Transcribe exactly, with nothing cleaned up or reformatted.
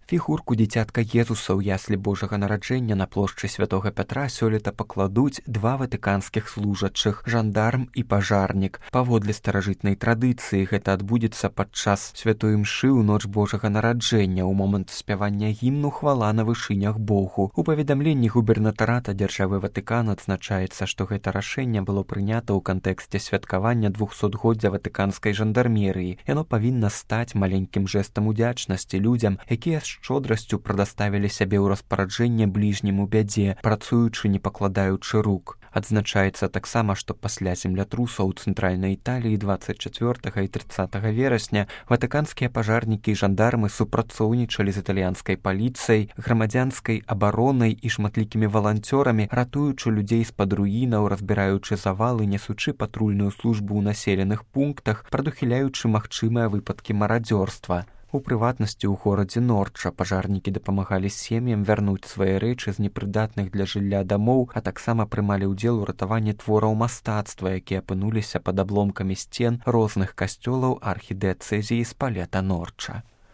Фігурку дзіцятка Езуса ў яслі Божага нараджэння на плошчы святога Пятра сёлета пакладуць два ватыканскіх служачых, жандарм і пажарнік. Паводле старажытнай традыцыі гэта адбудзецца падчас святой імшы ў ноч Божага нараджэння ў момант спявання гімну «Хвала на вышынях Богу». У паведамленні губернатарата дзяржавы Ватыкан адзначаецца, што гэта рашэнне было прынята ў кантэксце святкавання двухсотгоддзя ватыканскай жандармерыі. Яно павінна стаць маленькім жэстам удзячнасці людзям, якія з шчодрасцю прадаставілі сябе ў распараджэнне бліжнім у бядзе, працуючы не пакладаючы рук. Адзначаецца таксама, што пасля землятрусаў у цэнтральнай Італіі дваццаць чацвёртага і трыццатага верасня ватыканскія пажарнікі і жандармы супрацоўнічалі з італьянскай паліцыяй, грамадзянскай абаронай і шматлікімі валанцёрамі, ратуючы людзей з-пад руінаў, разбіраючы завалы, несучы патрульную службу ў населеных пунктах, прадухіляючы магчымыя выпадкі марадзёрства. У прыватнасці, ў горадзе Норча пажарнікі дапамагалі сем'ям вярнуць свае рэчы з непрыдатных для жылля дамоў, а таксама прымалі ўдзел у ратаванні твораў мастацтва, якія апынуліся пад абломкамі сцен розных касцёлаў архідыяцэзіі Спалета Норча.